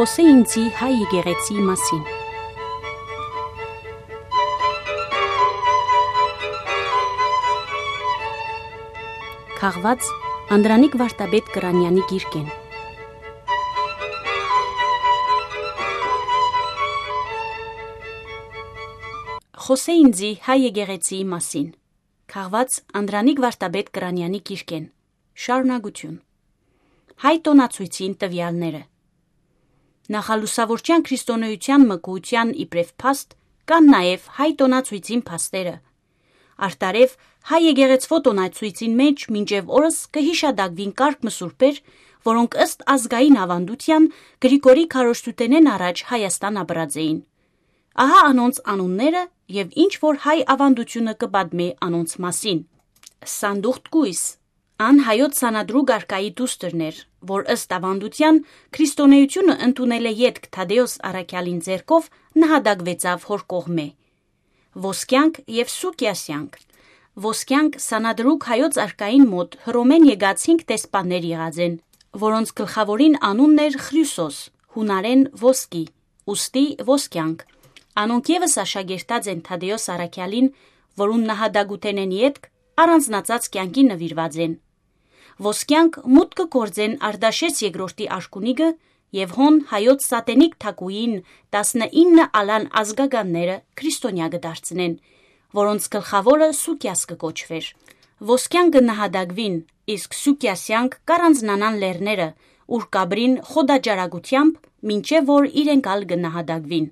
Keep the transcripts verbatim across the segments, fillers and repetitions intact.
Խոսե ինձի հայ եկեղեցի մասին։ Քաղված Անդրանիկ Վարդապետ Կրանյանի գիրքեն։ Խոսե ինձի հայ եկեղեցի մասին։ Քաղված Անդրանիկ Վարդապետ Կրանյանի գիրքեն։ Շարունակություն։ Հայ տոնացույցին տվյալները։ Նախալուսավորչյան քրիստոնեության մկուության իբրև փաստ կան նաև հայ տոնացույցին փաստերը։ Արտարև հայ եկեղեցվո տոնացույցին մեջ մինչև օրս կհիշադակվին կարգ մսուրբեր, որոնք ըստ ազգային ավանդության Գրիգորի քարոզչութենեն առաջ Հայաստան ապրած էին։ Ահա անոնց անունները եւ ինչ որ հայ ավանդությունը կպատմի անոնց մասին։ Սանդուղտ Կույս ան հայոց սանադրու գարկայի դուստրներ, որ ըստ ավանդության քրիստոնեությունը ընդունել է ետք Թադեոս Առաքյալին ձեռքով նահատակվեցավ հոր կողմէ։ Ոսկյանք եւ Սուկիասյանք։ Ոսկյանք սանադրուկ հայոց արկային մոտ հռոմեն եկած հինգ տեսպաններ եղած են, որոնց գլխավորին անունն էր Խրյուսոս, հունարեն ոսկի, ուստի ոսկյանք։ Անոնք եւս աշակերտած են Թադեոս Առաքյալին, որում նահատակութենեն ետք առանձնացած կյանքի նվիրված են։ Ոսկյանք մուտքը գործեն Արտաշես երկրորդի աշկունիկը եւ հոն հայոց սատենիկ թակուին տասնինը ալան ազգականները քրիստոնյա կդարձնեն, որոնց գլխավորը Սուկիաս կկոչվեր։ Ոսկյանքը նահատակվին, իսկ Սուկիասյանք կառանձնանան լեռները, ուր կաբրին խոդաջարակությամբ, մինչև որ իրենք ալ կնահատակվին։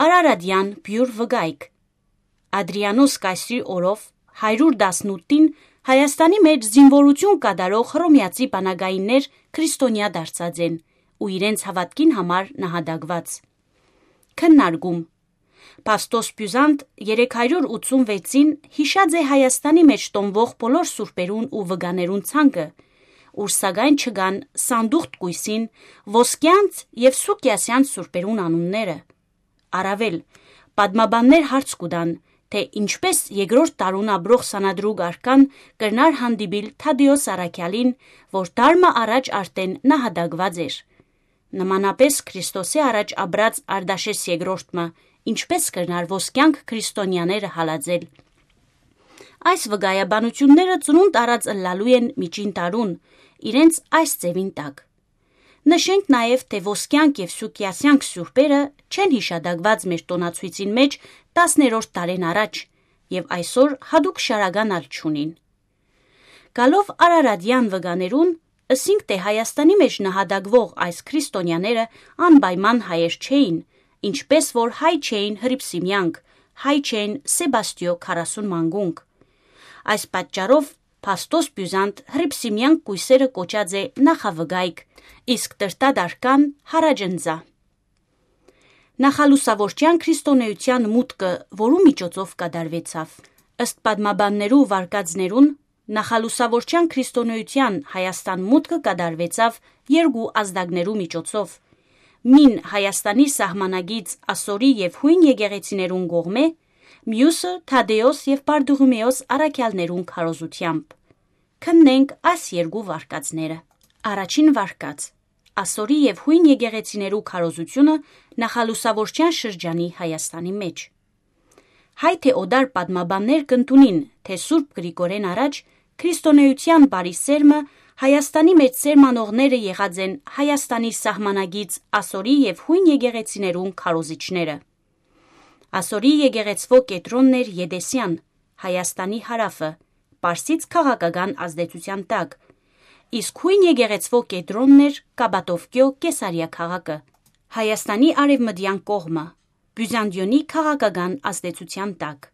Արարատյան բյուր վգայք։ Ադրիանոս կայսրի օրով հարյուր տասնութին Հայաստանի մեջ զինվորություն կատարող հռոմեացի բանագայիններ քրիստոնյա դարձած են ու իրենց հավատքին համար նահատակված։ Քննարկում։ Պաստոս Բյուզանտ երեք հարյուր ութսունվեցին հիշած է Հայաստանի մեջ տոնվող բոլոր սուրբերուն ու վգաներուն ցանկը, ուր սակայն չկան Սանդուղտ Կույսին, Ոսկյանց եւ Սուկիասյան սուրբերուն անունները։ Առավել, պատմաբաններ հարց կուտան, թե ինչպես երկրորդ տարուն ապրող սանադրուկ արկան կրնար հանդիպիլ Թադեոս Առաքյալին, որ դարմը առաջ արդեն նահատակված էր։ Նմանապես Քրիստոսի առաջ ապրած Արտաշես երկրորդը ինչպես կրնար ոսկյանք քրիստոնյաները հալածել։ Այս վկայաբանությունները ծնունդ առած ըլլալու են միջին տարուն, իրենց այս ձևին տակ։ Նշենք նաև, թե Ոսկյանք եւ Սուկիասյանք սուրբերը չեն հիշադակված մեր տոնացույցին մեջ տասներորդ տարեն առաջ եւ այսօր հadouk շարական ալ չունին։ Գալով Արարատյան վկաներուն, ըսինք թե Հայաստանի մեջ նահատակվող այս քրիստոնյաները անպայման հայեր չէին, ինչպես որ հայ չէին Հռիփսիմյանք, հայ չէին Սեբաստիո քառասուն մանգունք։ Այս պատճառով Պաստոս Բյուզանտ Հռիփսիմյանք կույսերը կոչած է նախավգայք, իսկ տրտադարկան հարաջնձա։ Նախալուսավորչյան քրիստոնեության մուտքը որու միջոցով կատարվեցավ։ Ըստ պատմաբաններու վարկածներուն նախալուսավորչյան քրիստոնեության Հայաստան մուտքը կատարվեցավ երկու ազդակներու միջոցով։ Մին Հայաստանի սահմանագից Ասորի եւ հույն եկեղեցիներուն կողմէ, մյուսը Թադեոս եւ Բարդուղիմեոս առաքյալներուն քարոզությամբ։ Քննենք այս երկու վարկածները։ Առաջին վարկած։ Ասորի եւ հույն եկեղեցիներու քարոզությունը նախալուսավորչյան շրջանի Հայաստանի մեջ։ Հայ թե օդար պատմաբաններ կընդունին, թե Սուրբ Գրիգորեն առաջ քրիստոնեության բարի սերմը Հայաստանի մեջ սերմանողները եղած են Հայաստանի սահմանագից Ասորի եւ հույն եկեղեցիներուն քարոզիչները։ Ասորի եկեղեցվո կետրոնն էր Եդեսյան, Հայաստանի հարավը, Պարսից քաղաքական ազդեցության տակ, իսկ հույն եկեղեցվո կետրոնն էր Կաբադովկիո Կեսարիա քաղաքը, Հայաստանի արևմտյան կողմը, Բյուզանդիոնի քաղաքական ազդեցության տակ։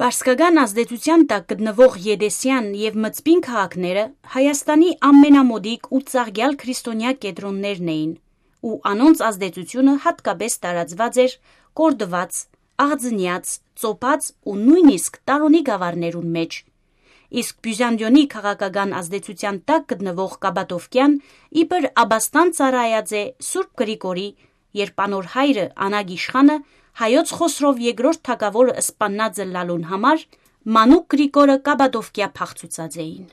Պարսկական ազդեցության տակ գտնվող Եդեսյան եւ Մծպին քաղաքները Հայաստանի ամենամոդիկ ու ծաղկյալ քրիստոնյա կետրոններն էին, ու անոնց ազդեցությունը հատկապես տարածված էր Կորդված, Աղձնյաց, Ծոպած ու նույնիսկ Տարոնի գավառներուն մեջ։ Իսկ Բյուզանդիոնի քաղաքական ազդեցության տակ գտնվող Կաբադովկյան իբր աբաստան ծառայած է Սուրբ Գրիգորի, երբ անոր հայրը Անագ իշխանը հայոց Խոսրով երկրորդ թագավորը սպաննած լալուն համար Մանուկ Գրիգորը Կաբադովկիա փախցուցած էին։